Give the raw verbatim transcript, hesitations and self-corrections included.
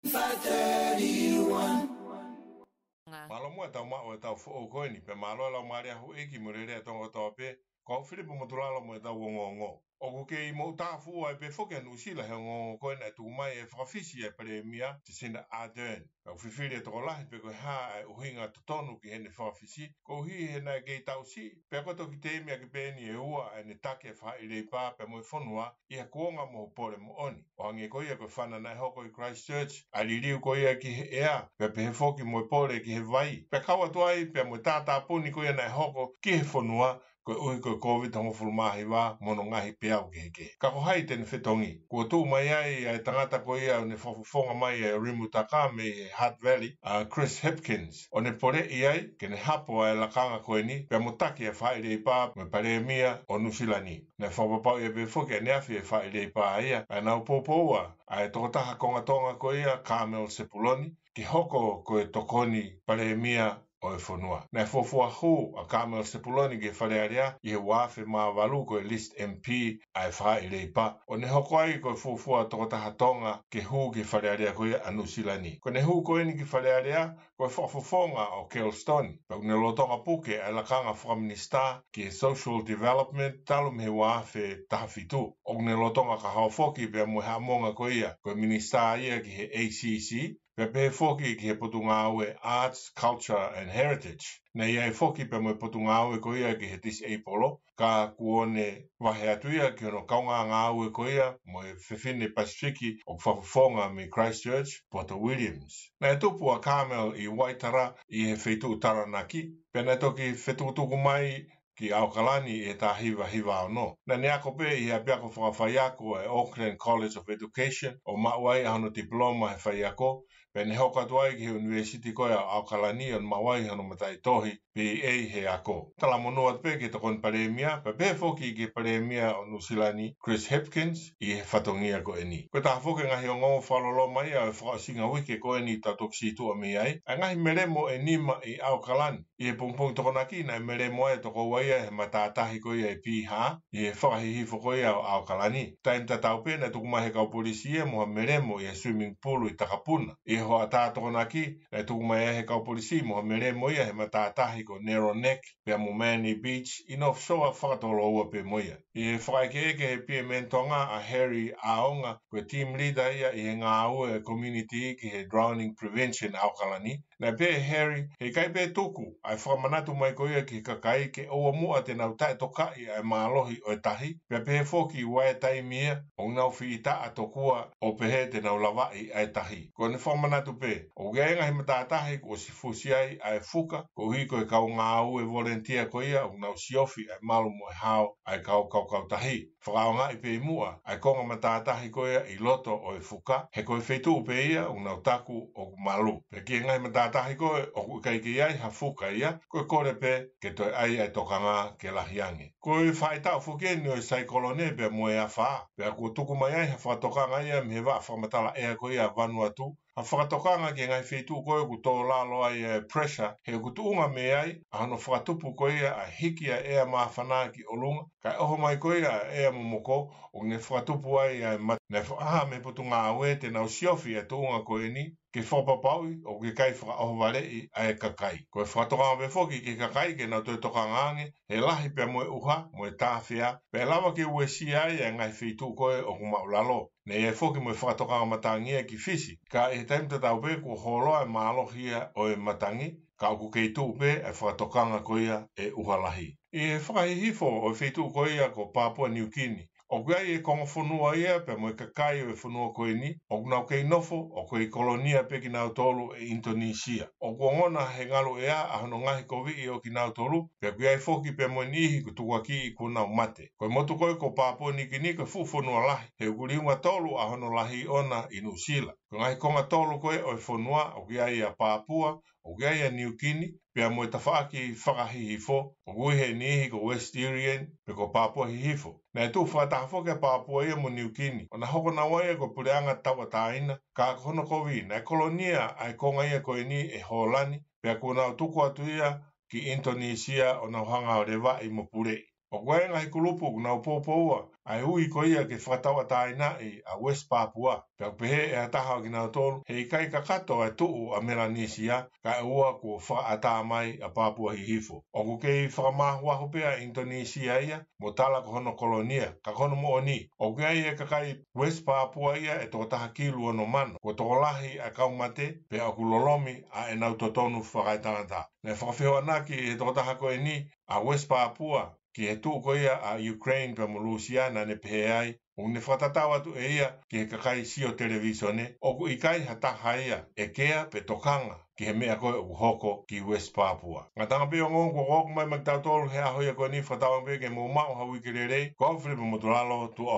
Five thirty-one. Mālō muʻa e tau maʻu e tau foʻou ko eni, pea mālō e lau mālie ʻa houʻeiki mo e lelei ʻa Tonga kotoa pē, ko au Filipo Motulalo mo e tau ongoongo. ʻOku kei moʻutāfuʻua ai pē foki ʻa Nuʻusila he ongoongo ko ē naʻe tuku mai ʻe he fakafisi ʻa e Palēmia, Jacinda Ardern. Pea ʻoku fifili e tokolahi pe ko e hā ʻa e ʻuhinga totonu ki heʻene fakafisi, koeʻuhi he naʻe kei taʻu siʻi, pea ko e toki teimi ʻaki pē eni ʻe ua ʻa ʻene taki e faʻahi leipā pea mo e fonua, ʻi ha kuonga mo ha pole moʻoni. ʻO hangē ko ia ko e fana naʻe hoko ʻi Christchurch, ʻa e liliu ko ia ki he ʻea, pea pehē foki mo e pole ki he vai. Pea kau atu ai, pea mo e tātāpuni ko ia naʻe hoko ki he fonua, koeʻuhi ko e Covid hongofulu mā hiva mo hono ngaahi peau kehekehe. Ka ko hai te ne fetongi? Kuo tuʻu mai ai ʻa e tangata ko ia ʻoku ne fakafofonga mai ʻa e Rimutaka mei he Hutt Valley, ʻa Chris Hipkins, ʻo ne poleʻi ai ke ne hapo ʻa e lakanga ko eni, pea mo taki ʻa e faʻahi leipā mo e Palēmia ʻo Nuʻusila ni. Naʻe fakapapauʻi pē foki ʻaneafi ʻe he faʻahi leipā ia ʻa ʻenau poupou ʻa e tokotaha konga Tonga ko ia, Carmel Sepuloni, ke hoko ko e tokoni Palēmia ʻo e fonua. Naʻe fuofua hū ʻa Carmel Sepuloni ki he Fale Alea ʻi he ua afe mā valu ko e list M P ʻa e faʻahi leipā, ʻo ne hoko ai ko e fuofua tokotaha Tonga ke hū ki he Fale Alea ko ia ʻa Nuʻusila ni. Ko ʻene hū ko eni ki he Fale Alea, ko e fakafofonga ʻo Kelston, pea ʻoku ne lolotonga puke ʻa e lakanga fakaminisitā ki he Social Development talu mei he ua afe taha fitu. ʻOku ne lolotonga kahaʻu foki pea mo e haʻamonga ko ia ko e minisitā ia ki he A C C, pea pehē foki ki he Potungāue Arts, Culture and Heritage. Naʻe ʻi ai foki pea mo e potungāue ko ia ki he disabled, ka kuo ne vahe atu ia ki hono kaungāngāue ko ia mo e fefine Pasifiki ʻoku fakafofonga mei Christchurch, Porter Williams. Naʻe tupu ʻa Carmel ʻi Waitara ʻi he feituʻu Taranaki, pea naʻe toki fetukutuku mai ki ʻAokalani ʻi he taha hiva hiva ono. Naʻa ne ako pē ʻi he ʻapiako fakafaiako ʻa e Auckland College of Education, ʻo maʻu ai ʻa hono tipiloma he faiako, pea ne hoko atu ai ki he ʻUnivēsiti ko ia ʻo ʻAokalani ʻo ne maʻu ai hono mataʻitohi B A he ako. Talamonū atu pē ki he Tokoni Palēmia, pea pehē foki ki he Palēmia ʻo Nuʻusila ni, Chris Hipkins, ʻi he fatongia ko eni. Ko e taha foki e ngaahi ongoongo fakaloloma ia ʻo e fakaʻosinga uike ko eni tau toki sītuʻa mei ai, ʻa e ngaahi melemo ʻe nima ʻi ʻAokalani. ʻI he pongipongi Tokonaki naʻe melemo ai e toko ua ia he matātahi ko ia ʻi Pīhā, ʻi he fakahihifo ko ia ʻo ʻAokalani. Taimi tatau pē naʻe tuku mai ʻe he kau polisi ia mo ha melemo ʻi he swimming pool ʻi Takapuna. ʻI he hoʻatā Tokonaki naʻe tuku mai ai ʻe he kau polisi mo ha melemo ia he matātahi ko Narrow Neck pea mo Manly Beach, ʻi North Shore fakatoloua pē mo ia. ʻI he fakaʻekeʻeke ʻe he P M N Tonga ʻa Harry ʻAonga, ko e team leader ia ʻi he ngāue ʻa e community ki he drowning prevention ʻAokalani, naʻe pehē ʻe Harry, heʻikai pē tuku ʻa e fakamanatu mai ko ia ki he kakai ke ʻoua muʻa te nau taʻetokaʻi ʻa e mālohi ʻo e tahi, pea pehē foki ʻoku ʻi ai e taimi ia ʻoku nau fitaʻa tokua ʻo pehē te nau lavaʻi ʻa e tahi. Ko ʻene fakamanatu pē, ʻoku ʻi ai e ngaahi matātahi kuo ʻosi fusi ai ʻa e fuka, koeʻuhi ko e kau ngāue volunteer ko ia ʻoku nau siofi ʻa e malu mo e hao ʻa e kau kaukau tahi. Fakaʻaongaʻi pē ʻi muʻa ʻa e konga matātahi ko ia ʻi loto ʻo e fuka, he ko e feituʻu pē ia ʻoku nau taku ʻoku malu. Pea ki he ngaahi matātahi ko ē ʻoku ʻikai ke ʻi ai ha fuka ia, ko e kole pē ke toe ʻai ʻa e tokanga ke lahi ange. Ko e faʻahitaʻu foki eni ʻo e saikolone pea mo e afā, pea kuo tuku mai ai ha fakatokanga ia mei he vaʻa fakamatala ʻea ko ia ʻa Vanuatu, ha fakatokanga ki he ngaahi feituʻu ko ē ʻoku tō lalo ai e pressure, he ʻoku tuʻunga mei ai ʻa hono fakatupu ko ia ʻa e hiki ʻa e ʻea māfana ki ʻolunga, kae ʻoho mai ko ia ʻa e ʻea momoko, ʻo ne fakatupu ai ʻa e mate. Naʻe fakahā mei he Potungāue te nau siofi ʻa e tuʻunga ko eni, ke fakapapauʻi ʻoku ʻikai fakaʻohovaleʻi ʻa e kakai. Ko e fakatokanga pē foki ki he kakai ke nau toe tokanga ange, he lahi pea mo e ʻuha, mo e tāfea, pea ʻe lava ke uesia ai ʻa e ngaahi feituʻu ko ē ʻoku maʻulalo. Naʻe ʻi ai foki mo e fakatokanga matangi ia ki Fisi, ka ʻi he taimi tatau pē kuo hōloa e mālohi ia ʻo e matangi, ka ʻoku kei tuʻu pē e fakatokanga ko ia e ʻuha lahi. ʻI he fakahihifo ʻo e feituʻu ko ia ko Papua New Guinea, ʻoku ʻi ai e konga fonua ia pea mo e kakai ʻo e fonua ko eni, ʻoku nau kei nofo ʻo kei kolonia pē kinautolu ʻe ʻInitonisia. ʻOku ongona he ngalu ʻea ʻa hono ngaohi koviʻi ʻo kinautolu, pea ʻoku ʻi ai foki pea mo e niʻihi kuo tukuakiʻi kuo nau mate. Ko e motu ko ē ko Papua New Guinea ko e fuʻu fonua lahi, he ʻoku liunga tolu ʻa hono lahi ʻona ʻi Nuʻusila. Ko e ngaahi konga tolu ko ē ʻo e fonua, ʻoku ʻi ai ʻa Papua, ʻoku ʻi ai ʻa New Guinea, pea mo e tafaʻaki fakahihifo, ʻoku ui ʻe he niʻihi ko West Irian, pe ko Papua Hihifo. Naʻe tuʻu fakataha foki ʻa Papua ia mo New Guinea, ʻo na hoko naua ia ko e puleʻanga tauʻatāina, ka ko hono kovi, naʻe kolonia ʻa e konga ia ko eni ʻe Hōlani, pea kuo nau tuku atu ia ki ʻInitonisia ʻo nau hanga ʻo levaʻi mo puleʻi. ʻOku ʻi ai e ngaahi kulupu ʻoku nau poupoua ʻa e ui ko ia ke fakatauʻatāinaʻi ʻa West Papua. Pea ʻoku pehē ʻe ha taha ʻo kinautolu, he ʻikai kakato ʻa e tuʻu ʻa Melanisia, kae ʻoua kuo fakaʻatā mai ʻa Papua Hihifo. ʻOku kei fakamāhuahu pē ʻa ʻInitonisia ia, mo tala ko hono kolonia, ka ko hono moʻoni, ʻoku ʻi ai e kakai West Papua ia ʻe toko taha kilu ono mano, kuo tokolahi ʻa e kau mate, pea ʻoku lolomi ʻa ʻenau totonu fakaetangata. Naʻe fakafehoanaki ʻe he tokotaha ko eni ʻa West Papua ki he tuʻu ko ia ʻa Ukraine pea mo Lūsia, naʻa ne pehē ai, ʻoku ne fakatatau atu ʻe ia ki he kakai sio televīsone, ʻoku ʻikai ha taha ia ʻe kea pe tokanga ki he meʻa ko ē ʻoku hoko ki West Papua. Ngataʻanga pē ʻo e ongoongo kuo ʻoku mai maʻa kitautolu he ʻaho ia ko eni, fakatauange pē ke mou maʻu ha uike lelei. Ko au Filipe Motulalo, tuʻa